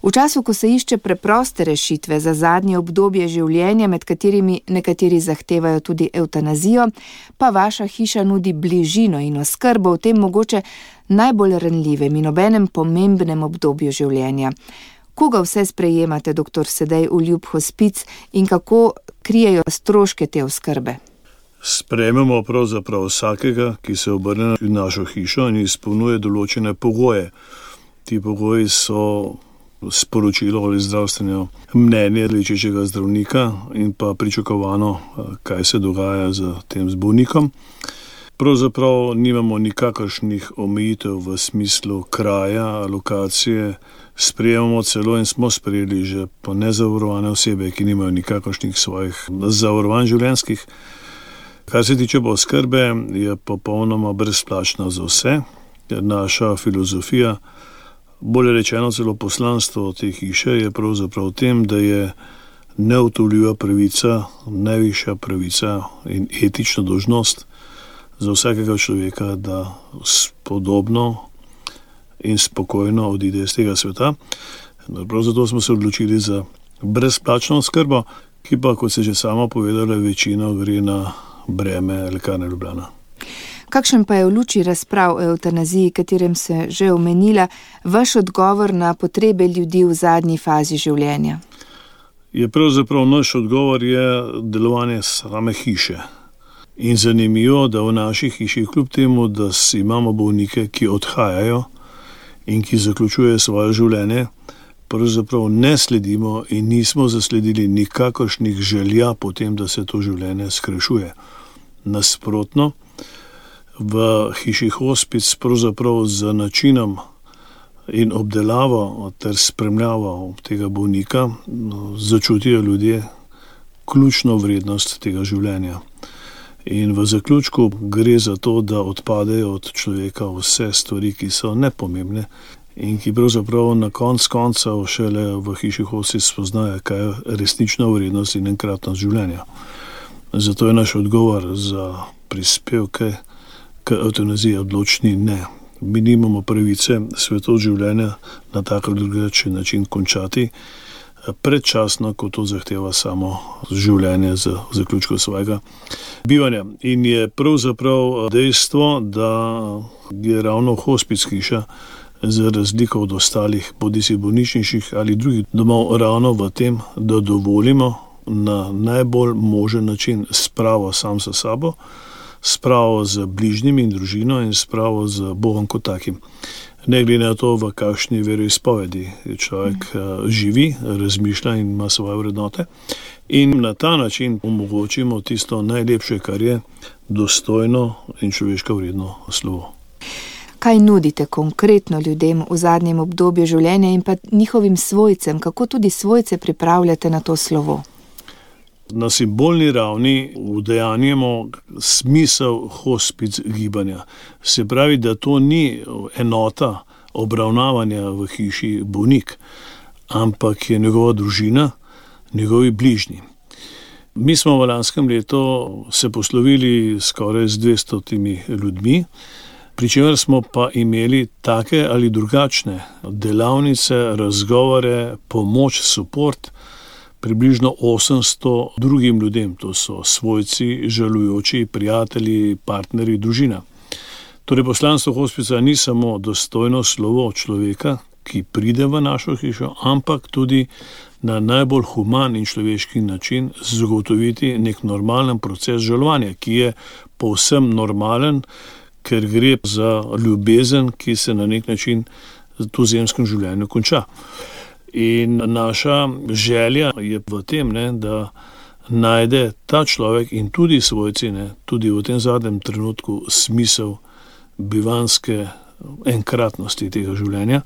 V času, ko se išče preproste rešitve za zadnje obdobje življenja, med katerimi nekateri zahtevajo tudi evtanazijo, pa vaša hiša nudi bližino in oskrbo v tem mogoče najbolj ranljivem in obenem pomembnem obdobju življenja. Koga vse sprejemate, dr. Sedej, v Ljub hospic in kako krijejo stroške te oskrbe? Sprejmemo pravzaprav vsakega, ki se obrne v našo hišo in izpolnjuje določene pogoje. Ti pogoji so sporočilo ali zdravstveno mnenje lečečega zdravnika in pa pričakovano, kaj se dogaja z tem bolnikom. Pravzaprav nimamo nikakršnih omejitev v smislu kraja, lokacije, sprejemamo celo in smo sprejeli že po nezavarovane osebe, ki nimajo nikakršnih svojih zavarovanj življenjskih. Kar se tiče oskrbe, je popolnoma brezplačna za vse. Naša filozofija, bolje rečeno celo poslanstvo te hiše, je pravzaprav v tem, da je neodtujljiva pravica, najvišja pravica in etična dolžnost za vsakega človeka, da spodobno in spokojno odide iz tega sveta. Prav zato smo se odločili za brezplačno oskrbo, ki pa, kot se že sama povedala, večino gre na breme Lekarne Ljubljana. Kakšen pa je v luči razprav o evtanaziji, katerem se že omenila, vaš odgovor na potrebe ljudi v zadnji fazi življenja? Pravzaprav naš odgovor je delovanje same hiše. In zanimivo, da v naši hiši, kljub temu, da imamo bolnike, ki odhajajo in ki zaključujejo svoje življenje, pravzaprav ne sledimo in nismo zasledili nikakršnih želja po tem, da se to življenje skrajšuje. Nasprotno, v hiši hospic pravzaprav z načinom in obdelavo ter spremljavo tega bolnika začutijo ljudje ključno vrednost tega življenja. In v zaključku gre za to, da odpadejo od človeka vse stvari, ki so nepomembne in ki pravzaprav na koncev šele v hiši hospic spoznajo, kaj je resnična vrednost in enkratnost življenja. Zato je naš odgovor za prispevke k evtanaziji odločni ne. Mi nimamo pravice svetov življenja na tak ali drugačen način končati predčasno, ko to zahteva samo življenje z zaključkom svojega bivanja. In je pravzaprav dejstvo, da je ravno hospic hiša za razliko od ostalih bodisi bolnišničnih ali drugih domov ravno v tem, da dovolimo na najbolj možen način spravo sam sa sabo, spravo z bližnjimi in družino in spravo z Bogom kot takim. Ne glede na to, v kakšni veroizpovedi človek živi, razmišlja in ima svoje vrednote. In na ta način omogočimo tisto najlepše, kar je dostojno in človeško vredno slovo. Kaj nudite konkretno ljudem v zadnjem obdobju življenja in pa njihovim svojcem? Kako tudi svojce pripravljate na to slovo? Na simbolni ravni udejanjamo smisel hospic gibanja. Se pravi, da to ni enota obravnavanja v hiši bolnik, ampak je njegova družina, njegovi bližnji. Mi smo v lanskem letu se poslovili skoraj z 200 ljudmi, pri čemer smo pa imeli take ali drugačne delavnice, razgovore, pomoč, support, približno 800 drugim ljudem, to so svojci, žalujoči, prijatelji, partnerji, družina. Torej poslanstvo hospica ni samo dostojno slovo človeka, ki pride v našo hišo, ampak tudi na najbolj human in človeški način zagotoviti nek normalen proces žalovanja, ki je povsem normalen, ker gre za ljubezen, ki se na nek način v tu zemskem življenju konča. In naša želja je v tem, da najde ta človek in tudi svojci, tudi v tem zadnjem trenutku smisel bivanske enkratnosti tega življenja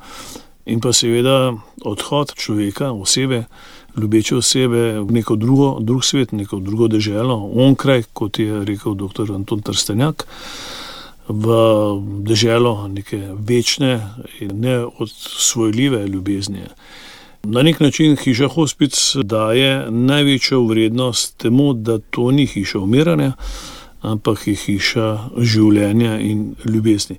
in pa seveda odhod človeka, osebe, ljubeče osebe v neko drug svet, neko drugo deželo, onkraj, kot je rekel dr. Anton Trstenjak, v deželo neke večne in neodsvojljive ljubezni. Na nek način hiša hospic daje največjo vrednost temu, da to ni hiša umiranja, ampak je hiša življenja in ljubezni.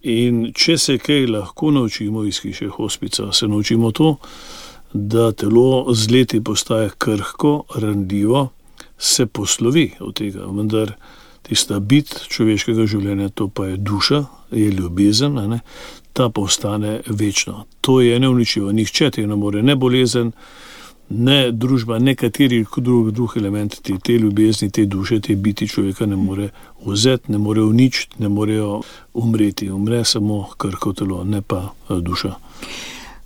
In če se kaj lahko naučimo iz hiše hospica, se naučimo to, da telo z leti postaje krhko, ranljivo, se poslovi od tega, vendar tista bit človeškega življenja, to pa je duša, je ljubezen, ne? Ta pa ostane večno. To je neuničljivo, nihče te ne more, ne bolezen, ne družba, ne kateri drug element te ljubezni, te duše, te biti človeka ne more vzeti, ne more uničiti, ne morejo umreti. Umre samo krhko telo, ne pa duša.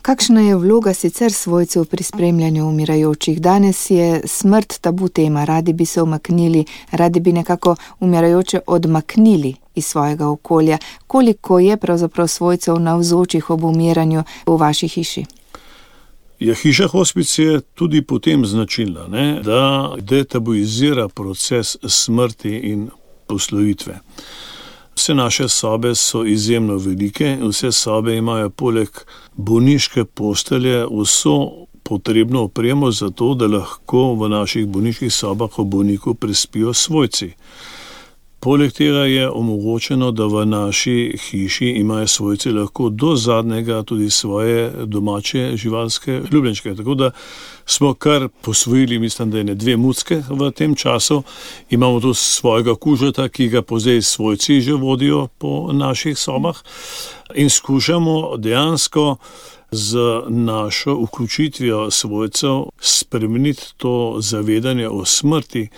Kakšna je vloga sicer svojcev pri spremljanju umirajočih? Danes je smrt tabu tema, radi bi se umaknili, radi bi nekako umirajoče odmaknili iz svojega okolja. Koliko je pravzaprav svojcev navzočih ob umiranju v vaši hiši? Ja, hiša hospic je tudi potem značilna, ne, da detabuizira proces smrti in poslovitve. Vse naše sobe so izjemno velike, vse sobe imajo poleg bolniške postelje vso potrebno opremo za to, da lahko v naših bolniških sobah o bolniku prespijo svojci. Poleg tega je omogočeno, da v naši hiši imajo svojci lahko do zadnjega tudi svoje domače živalske ljubljenčke. Tako da smo kar posvojili, mislim, da je 2 mucke v tem času. Imamo tu svojega kužeta, ki ga pozaj svojci že vodijo po naših sobah in skušamo dejansko z našo vključitvijo svojcev spremeniti to zavedanje o smrti,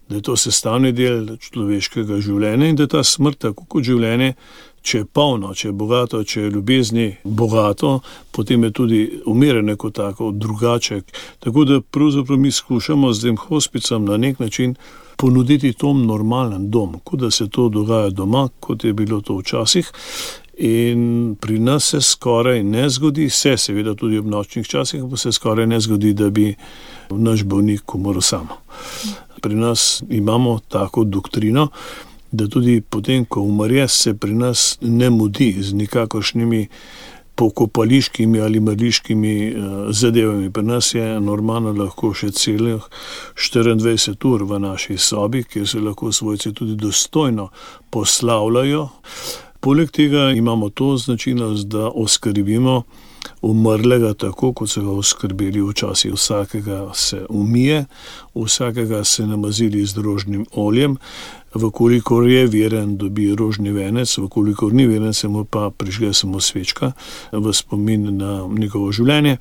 da je to sestavni del človeškega življenja in da je ta smrt, tako kot življenje, če je polno, če je bogato, če je ljubezni bogato, potem je tudi umiranje kot tako drugače. Tako da pravzaprav mi skušamo z tem hospicom na nek način ponuditi tom normalen dom, kot da se to dogaja doma, kot je bilo to včasih. In pri nas se skoraj ne zgodi, seveda tudi ob nočnih časih, pa se skoraj ne zgodi, da bi naš bolnik umrl samo. Pri nas imamo tako doktrino, da tudi potem, ko umre, se pri nas ne mudi z nikakršnimi pokopališkimi ali mrliškimi zadevami. Pri nas je normalno lahko še celih 24 ur v naši sobi, kjer se lahko svojci tudi dostojno poslavljajo. Poleg tega imamo to značilnost, da oskrbimo umrlega tako, kot so ga oskrbeli včasih. Vsakega se umije, vsakega se namazili z rožnim oljem, vkolikor je veren, dobi rožni venec, vkolikor ni veren, se mu pa prižge samo svečka v spomin na njegovo življenje.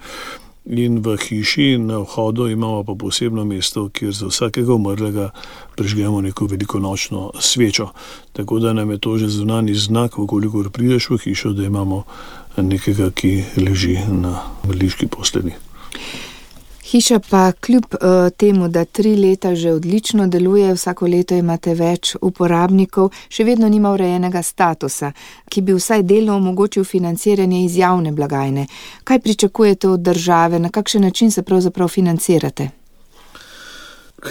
In v hiši na vhodu imamo pa posebno mesto, kjer za vsakega umrlega prižgemo neko velikonočno svečo. Tako da nam je to že zunanji znak, vkolikor prideš v hišo, da imamo nekega, ki leži na mrliški postelji. Hiša pa kljub temu, da 3 leta že odlično deluje, vsako leto imate več uporabnikov, še vedno nima urejenega statusa, ki bi vsaj delno omogočil financiranje iz javne blagajne. Kaj pričakujete od države, na kakšen način se pravzaprav financirate?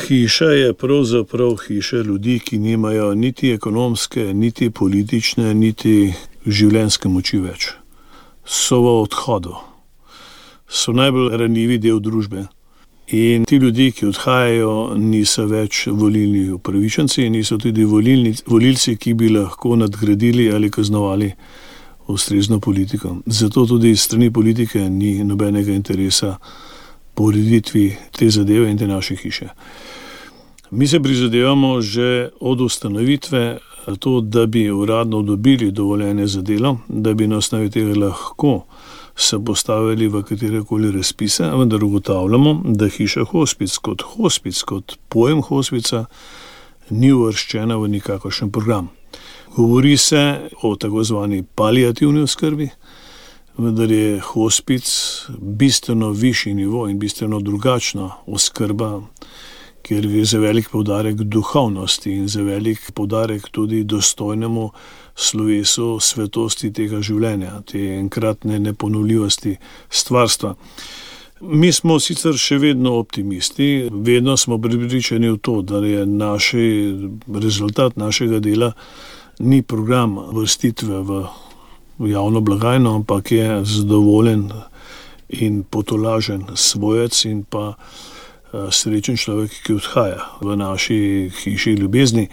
Hiša je pravzaprav hiša ljudi, ki nimajo niti ekonomske, niti politične, niti življenjske moči več. So v odhodu. So najbolj ranljivi del družbe. In ti ljudi, ki odhajajo, niso več volilni upravičenci, niso tudi volilci, ki bi lahko nadgradili ali kaznovali ustrezno politiko. Zato tudi strani politike ni nobenega interesa po ureditvi te zadeve in te naše hiše. Mi se prizadevamo že od ustanovitve to, da bi uradno dobili dovoljenje za delo, da bi na osnovi tega lahko se postavili v katerekoli razpise, vendar ugotavljamo, da hiša hospic, kot pojem hospica, ni uvrščena v nikakršen program. Govori se o tako zvani paliativni oskrbi, vendar je hospic bistveno višji nivo in bistveno drugačna oskrba, ker gre za velik poudarek duhovnosti in za velik poudarek tudi dostojnemu slovesu svetosti tega življenja, te enkratne neponovljivosti stvarstva. Mi smo sicer še vedno optimisti, vedno smo prepričani v to, da je rezultat našega dela ni program vrstitve v javno blagajno, ampak je zadovoljen in potolažen svojec in pa srečen človek, ki odhaja v naši hiši ljubezni.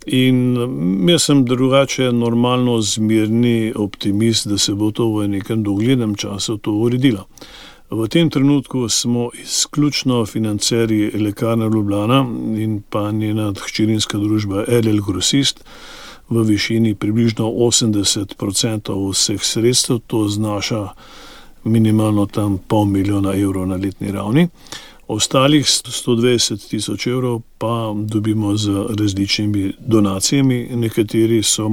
In jaz sem drugače normalno zmirni optimist, da se bo to v nekem doglednem času to uredilo. V tem trenutku smo izključno financerji Lekarne Ljubljana in pa njena hčerinska družba LL Grosist v višini približno 80% vseh sredstev, to znaša minimalno tam 500 000 evrov na letni ravni. Ostalih 120 000 evrov pa dobimo z različnimi donacijami, nekatere so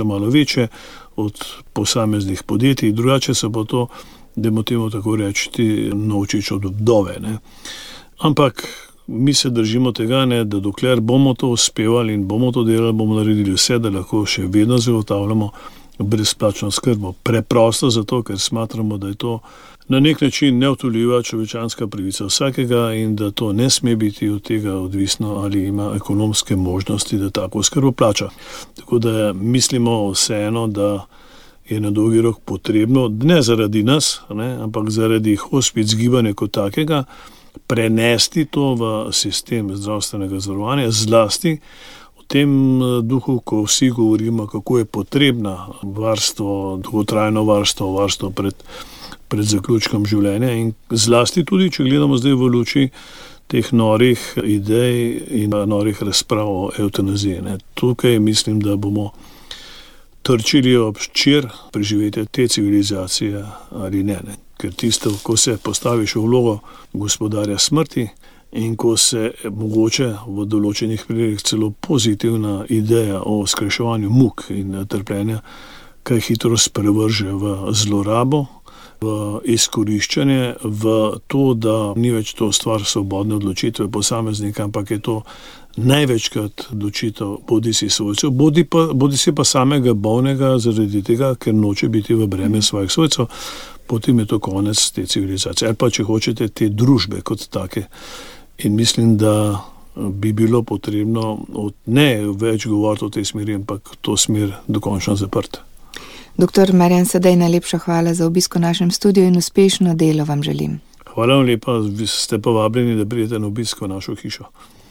malo večje od posameznih podjetij, drugače se bo to, dajmo temu tako reči, naučiš od vdove. Ne. Ampak mi se držimo tega, ne, da dokler bomo to uspevali in bomo to delali, bomo naredili vse, da lahko še vedno zagotavljamo brezplačno skrbo. Preprosto zato, ker smatramo, da je to na nek način neodtujljiva človečanska pravica vsakega in da to ne sme biti od tega odvisno, ali ima ekonomske možnosti, da tako skrbo plača. Tako da mislimo vseeno, da je na dolgi rok potrebno, ne zaradi nas, ne, ampak zaradi hospic gibanja kot takega, prenesti to v sistem zdravstvenega zavarovanja, zlasti v tem duhu, ko vsi govorimo, kako je potrebna varstvo, dolgotrajno varstvo pred zaključkom življenja in zlasti tudi, če gledamo zdaj v luči teh norih idej in norih razprav o evtanaziji. Ne. Tukaj mislim, da bomo trčili ob ščir preživetja te civilizacije ali ne. Ker tisto, ko se postaviš v vlogo gospodarja smrti in ko se mogoče v določenih primerih celo pozitivna ideja o skrajševanju muk in trpljenja kaj hitro sprevrže v zlorabo, v izkoriščanje, v to, da ni več to stvar svobodne odločitve posameznika, ampak je to največkrat odločitev bodisi svojcev, bodisi pa samega bolnega zaradi tega, ker noče biti v breme svojih svojcev, potem je to konec te civilizacije. Ali pa, če hočete, te družbe kot take. In mislim, da bi bilo potrebno ne več govoriti o tej smeri, ampak to smer dokončno zaprti. Dr. Marjan Sedej, najlepša hvala za obisk v našem studiu in uspešno delo vam želim. Hvala vam lepa, ste povabljeni, da pridete na obisk v našo hišo.